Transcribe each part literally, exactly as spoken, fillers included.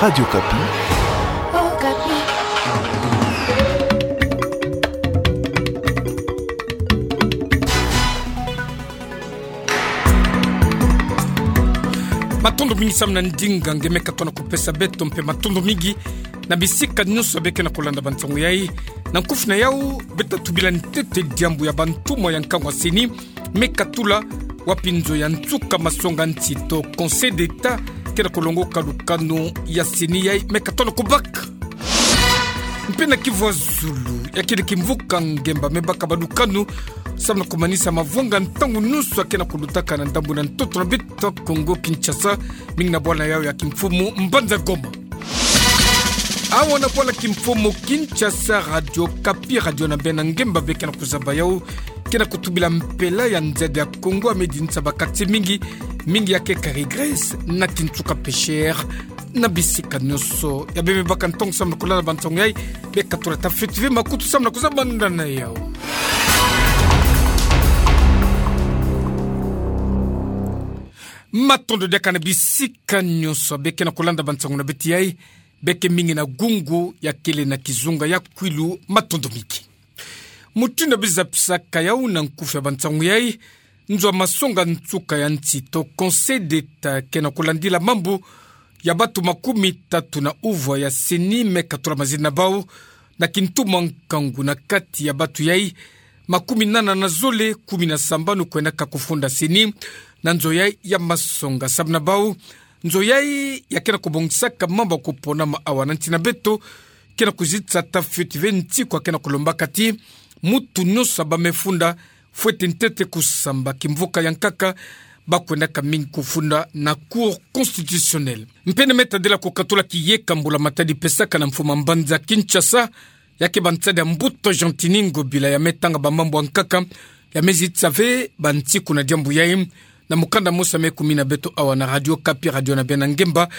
Radio Okapi. Matondo mingi samu na ndinga nge me katuka na kupesa beto, mpe matondo mingi na bisika nyonso beke na kulanda bansangu yai. Na nkufi na yau, beta tubila ntete diambu ya bantumwa ya nkangu ya CENI me katula, wapi nzo ya nsuka masonga ntito, Conseil d'État, ke na kulongoka lukanu ya CENI yai me katuka na kubaka. Mpe na kivu ya zulu, ya kele kimvuka ngemba me baka balukanu samu na kumanisa mavwanga ntangu nyonso ya ke na kulutaka na ndambu na ntoto na beto Kongo Kinshasa, mingi na bwala yau ya kimfumu mbanza Goma. Awa na bwala kimfumu Kinshasa, Radio Okapi, radio na beno ngemba beke na kuzaba yau, ke na kutubila mpela ya nzadi ya Kongo ya me dinisa ba quartier mingi, mingi ya ke Carigres na Kinsuka Pêcheur, na bisika nyonso ya beno me baka ntangu samu na kulanda bansangu yai, beka tula tafeti ve makutu samu na kuzaba ndana yau. Matondo diaka na bisika nyonso beke na kulanda bansangu na beto yai, beke mingi na gungu ya kele na kizunga ya kwilu, matondo mingi. Mutindu ya biza pisaka yau na nkufi ya bansangu yai, nzo ya masonga nsuka ya ntito, Conseil d'État, ke na kulandila mambu ya batu makumi tatu na uvwa ya CENI me katula mazina na bau na kintumwa nkangu. Na kati ya batu yai, makumi nana na zole, kumi na sambanu kwendaka kufunda CENI na nzo yai ya masonga. Samu na bau, nzo yai ya ke na kubongisaka mambu ya kuponama awa na nsi na beto ke na kuzitisa tafeti ve nsiku ya ke na kulombaka ti mutu nyonso ya bamefunda, fwete ntete kusamba kimvuka ya nkaka, ba kwendaka mingi kufunda na Cour constitutionnelle. Mpe na me tadila kukatula kiyeka mbula-matadi pesaka na mfumu ya mbanza Kinshasa, ya ke ba nsadi ya mbuta Gentiny Ngobila, ya me tanga bamambu ya nkaka, ya me zitisa ve bansiku na diambu yai, na mukanda mosi ya me kumina beto awa na Radio Okapi, radio na beno ngemba,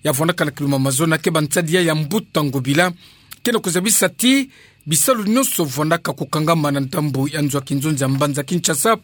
ya vwandaka na kiluma mazono, ya ke ba nsadi yai ya mbuta Ngobila ke na kuzabisa ti bisalu nyonso vwandaka kukangama na ndambu ya nzo ya kinzonzi ya mbanza Kinshasa,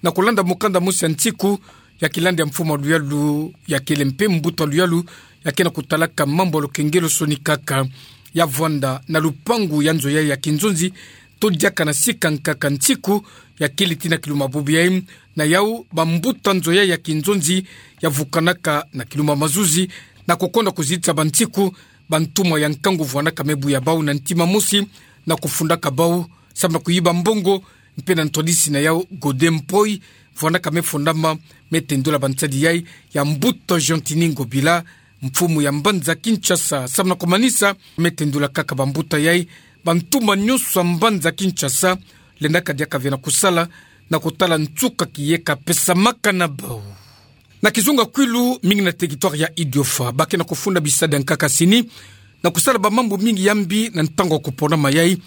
na kulanda mukanda mosi ya nsiku ya kilandi ya mfumu ya luyalu, ya kele mpe mbuta luyalu, ya ke na kutalaka mambu ya lukengelo soni kaka, ya vwanda na lupangu ya nzo yai ya kinzonzi, to diaka na sika nkaka nsiku ya kele ti na kiluma bubu yai. Na yau, bambuta nzo yai ya kinzonzi ya vukanaka na kiluma mazuzi, na kukonda kuzitisa bansiku, bantumwa ya nkangu vwandaka me buya bau na ntima mosi, na kufundaka bau samu na kuyiba mbongo. Mpe na ntwadisi na yau, Godin Mpoy vwandaka me fundama, me tendula ba nsadi yai ya mbuta Gentiny Ngobila, mfumu ya mbanza Kinshasa. Samu na kumanisa, me tendula kaka bambuta yai, bantumwa nyonso ya mbanza Kinshasa, lendaka diaka ve na kusala, na kutala nsuka kiyeka pesamaka na bau. Na kizunga kwilu, mingi na territoire ya Idiofa, ba ke na kufunda bisadi ya nkaka CENI, na kusala bamambu mingi ya mbi na ntangu ya kuponama yai,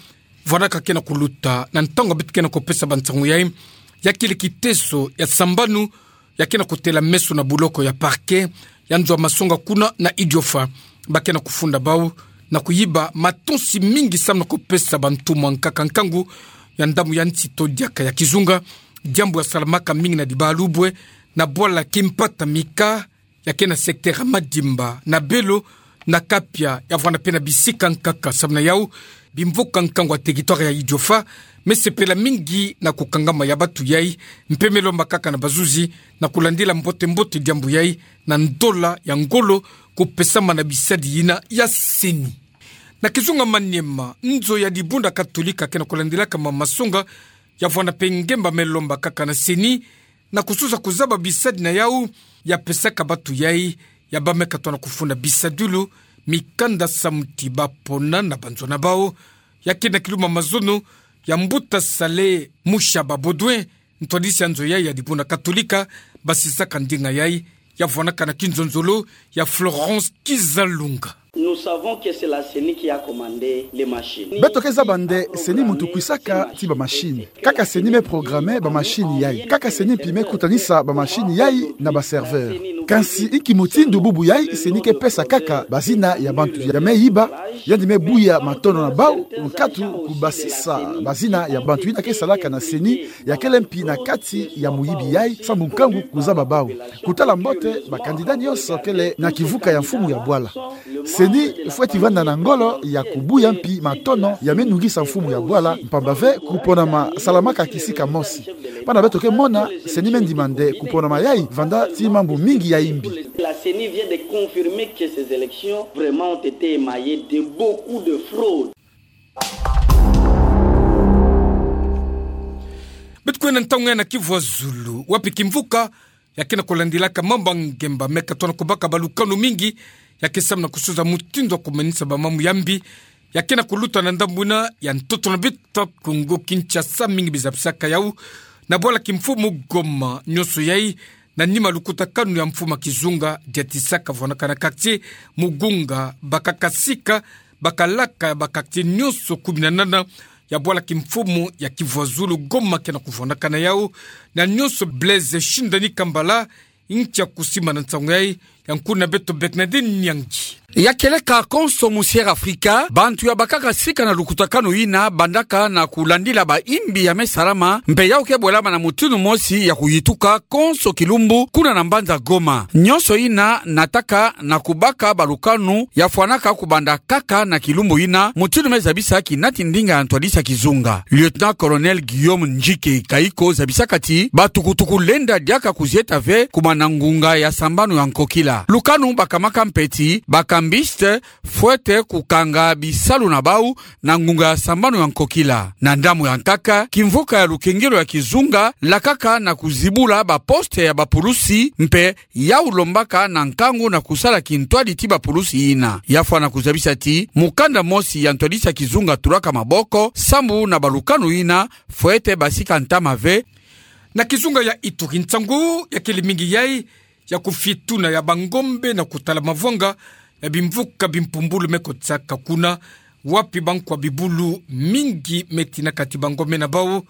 vwandaka ke na kuluta na ntangu beto ke na kupesa bansangu yai, ya kele kiteso ya sambanu, ya ke na kutela meso na buloko ya parquet ya nzo ya masonga kuna na Idiofa. Ba ke na kufunda bau na kuyiba matonsi mingi samu na kupesa bantumwa nkaka nkangu ya ndambu ya nsi to diaka ya kizunga, diambu ya salamaka mingi na Dibalubwe, na bwala Kimpata Mika, ya ke na secteur ya Madimba, na Belo, na Kapia, ya vwanda mpe na bisika nkaka. Samu na yau, bimvuka nkangu ya territoire ya Idiofa me sepela mingi na kukangama ya batu yai, mpe me lomba kaka na bazuzi na kulandila mbote-mbote diambu yai, na ndola ya ngolo kupesama na bisadi yina ya CENI. Na kizunga Maniema, nzo ya dibundu ya Katolika ke na kulandilaka ma masonga, ya vwanda mpe ngemba me lomba kaka na CENI na kusosa kuzaba bisadi na yau ya pesaka batu yai ya ba me katoa na kufunda bisadilu, mikanda samu ti ba pona na banzo na bau. Ya ke na kiluma mazono ya mbuta Saleh Mushaba Baudouin, ntwadisi ya nzo yai ya dibundu ya Katolika, basisaka ndinga yai, ya vwanaka na kinzonzolo ya Florence Kizalunga. Nous savons que c'est la CENI qui a commandé les machines. Beto ke zaba nde CENI muntu kwisaka ti ba machine. Kaka CENI me programmer ba machine yai. Kaka CENI mpi me kutanisa ba machine yai na ba serveur. Kansi inki mutindu bubu yai CENI ke pesa kaka bazina ya bantu ya me yiba, yandi me buya matondo na bau, nkatu kubasisa bazina ya bantu yina ke salaka na CENI, ya kele mpi na kati ya muyibi yai, samu nkangu kuzaba bau. Kutala mbote, ba candidat nyonso kele na kivuka ya mfumu ya bwala. CENI fweti vanda na ngolo ya kubuya mpi matono ya me nungisa mfumu ya bwala, mpamba ve kuponama salamaka kisika mosi. Bana beto ke mona, CENI me ndima nde kuponama yai vanda ti mambu mingi ya imbi. La CENI vient de confirmer que ces élections vraiment ont été émaillées de beaucoup de fraudes. Beto kwenda ntangu ya na Kivu ya Zulu, wapi kimvuka ya ke na kulandilaka mambu ya ngemba me katona kubaka balukanu mingi ya ke samu na kusunza mutindu ya kumanisa bamambu ya mbi ya ke na kuluta na ndambu ina ya ntoto na beto Kongo Kinshasa. Mingi bizabisaka yau na bwala kimfumu Goma. Nyonso yai na nima lukutakanu ya mfumu ya kizunga diatisaka vwanaka na quartier Mugunga, bakaka sika, bakalaka ba quartier nyonso kumi na nana ya bwala kimfumu ya Kivu ya Zulu, Goma, ke na kuvwanaka na yau. Na nyonso Blaise Shindani Kambala ntia kusimba na nsangu yai, ya nkuna beto Bernadette Nyangi. Ya kieleka konso mu Sierra Afrika, bantu ya bakaka sika na lukutakanu ina bandaka na kulandila ba imbi ya me salama, mpe yau ke bwelama na mutindu mosi ya kuyituka konso kilumbu kuna na mbanza Goma. Nyonso ina nataka na kubaka balukanu ya fwanaka kubanda kaka na kilumbu ina, mutindu me zabisa kinati ndinga ya ntwadisi ya kizunga, Lieutenant-colonel Guillaume Njike Kaiko, zabisaka ti batukutuku lenda diaka kuzieta ve kuma na ngunga ya sambanu ya nkokila. Lukanu bakamaka mpe ti ba cambistes fwete kukanga bisalu na bau na ngunga ya sambanu ya nkokila. Na ndambu ya nkaka, kimvuka ya lukengelo ya kizunga lakaka na kuzibula ba poste ya bapulusi, mpe yau lombaka na nkangu na kusala kintwadi ti bapulusi ina. Ya fwana kuzabisa ti mukanda mosi ya ntwadisi ya kizunga tulaka maboko sambu na balukanu ina fwete basika ntama ve. Na kizunga ya Ituri, nsangu ya kele mingi yai ya kufietuna ya bangombe na kutala mavwanga ya bimvuka bimpumbulu me kotisaka kuna, wapi bankwa bibulu mingi me tinaka ti bangombe na bau.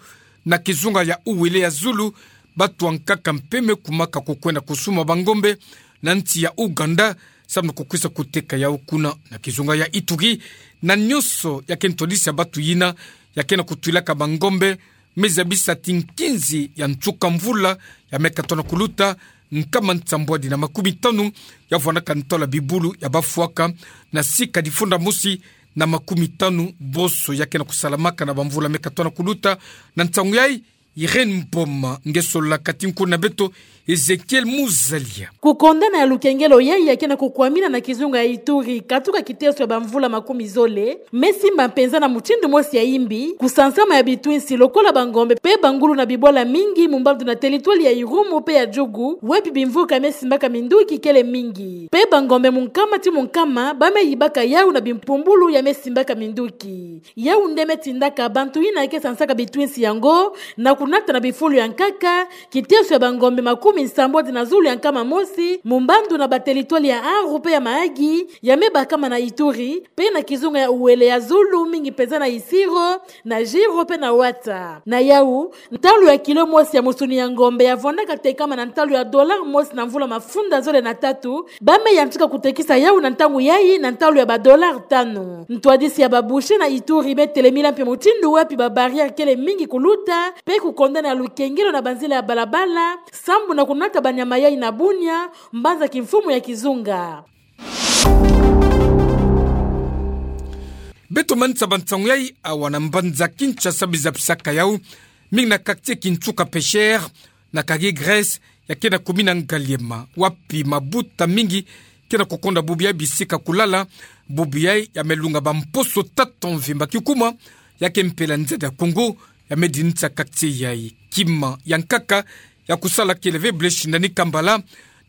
Na kizunga ya Uele ya Zulu, bantu ya nkaka mpe me kumaka kukwenda kusumba bangombe na nsi ya Ouganda, samu na kukwisa kuteka yau kuna. Na kizunga ya Ituri, na nyonso ya ke ntwadisi ya bantu yina ya ke na kutwilaka bangombe, me zabisa ti nkinzi ya nsuka mvula ya me katona kuluta, nkama nsambwadi na makumi tanu ya vwanaka ntalu ya bibulu ya bafwaka, na sika difunda mosi na makumi tanu boso ya ke na kusalamaka na bamvula me katona kuluta. Na nsangu yai, Irène Mboma nge sololaka ti nkuna beto Ezekiel Muzalia. Kukondana ya lukengelo yai ya ke na kukwamina na kizunga ya Ituri katuka kiteso ya bamvula makumi zole, me simba mpenza na mutindu mosi ya imbi kusansama ya bitwinsi lokola bangombe mpe bangulu na bibwala mingi mu mbandu na teritwali ya Irumu mpe ya Djugu, wapi bimvuka me simbaka minduki kele mingi. Mpe bangombe mu nkama ti mu nkama ba me yibaka yau na bimpumbulu ya me simbaka minduki. Yau nde me tindaka bantu yina ke sansaka bitwinsi yango na kunata na bifulu ya nkaka kiteso ya bangombe makumi nsambwadi na zulu ya nkama mosi mu mbandu na bateritwali ya Aru mpe ya Mahagi, ya me bakama na Ituri, mpe na kizunga ya Uele ya Zulu, mingi mpenza na Isiro, na Djiro mpe na Ouattara. Na yau, ntalu ya kilo mosi ya musuni ya ngombe ya vwandaka tekama na ntalu ya dollar mosi na mvula mafunda zole na tatu, ba me yantika kutekisa yau na ntangu yai na ntalu ya ba dollar tanu. Ntwadisi ya ba boucher na Ituri me telemila mpe mutindu wapi ba barrière kele mingi kuluta, mpe kukondana ya lukengelo na banzila ya balabala, sambu na kunata banyama yai na Bunia, mbanza kimfumu ya kizunga. Beto manisa ba nsangu yai awa na mbanza Kinshasa. Bizapisaka yau mingi na quartier Kintsuka Pêcheur, na Kagere Grèce, ya ke na commune ya Ngaliema, wapi mabuta mingi ke na kukonda bubu yai bisika kulala. Bubu yai ya me lunga bamposo tatu mvimba. Kikuma ya ke mpela nzadi ya Kongo ya me dinisa quartier yai. Kima ya nkaka ya kusala kele ve Blaise Shindani Kambala,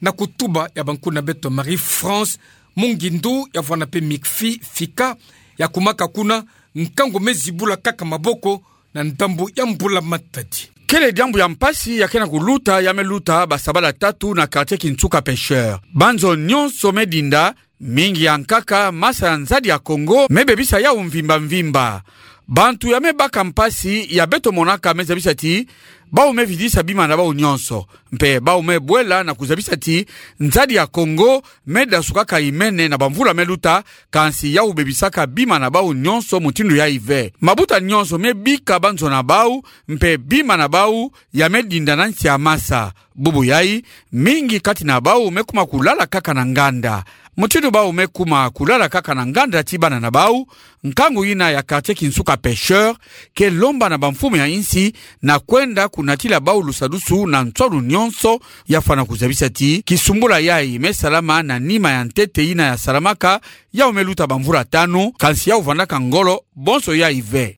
na kutuba ya bankuna beto Marie-France Mungindu, ya vwanda mpe Mikfi Fika, ya kumaka kuna, nkangu me zibula kaka maboko na ndambu ya mbula matadi. Kele diambu ya mpasi ya ke na kuluta, ya me luta basabala tatu na quartier Kintsuka Pêcheur. Banzo nyonso me dinda, mingi ya nkaka masa ya nzadi ya Kongo me bebisa yau mvimba mvimba. Bantu ya me baka mpasi ya beto monaka me zabisa ti bau me vidisa bima na bau nyonso, mpe bau me bwela na kuzabisa ti nzadi ya Kongo me dasukaka imene na bamvula me luta, kansi yau bebisaka bima na bau nyonso mutindu yai ve. Mabuta nyonso me bika banzo na bau, mpe bima na bau ya me dinda na nsi ya masa. Bubu yai, mingi kati na bau me kuma kulala kaka na nganda. Mutindu bau me kuma kulala kaka na nganda ti bana na bau, nkangu ina ya quartier Kinsuka Pêcheur ke lomba na bamfumu ya insi na kwenda kunatila bau lusadusu na nsoni nyonso, ya fwana kuzabisa ti kisumbula yayi me salama na nima ya ntete ina ya salamaka, yau me luta bamvula tanu, kansi yau vandaka ngolo bonso yayi ve.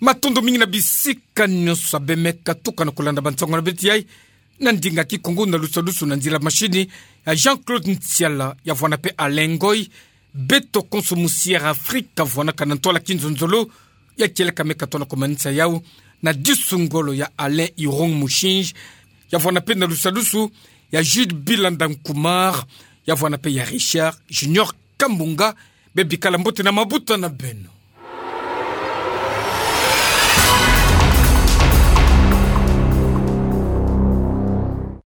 Matondo mingi na bisika nyonso abe me katuka na kulanda bansango na beto yayi, na ndinga Kikongo na lusadusu na nzila mashini ya Jean-Claude Ntiala, ya vwana pe Alain Ngoy. Beto konso musiera Afrika vwanaka na ntwala kinzonzolo, ya kieleka me katona komanisa yau na disu ngolo ya Alain Irung Mushinji, ya vwana pe na lusadusu ya Jude Bilanda Nkumar, ya vwana pe ya Richard Junior Kambunga. Bebikala mbote na mabuta na beno.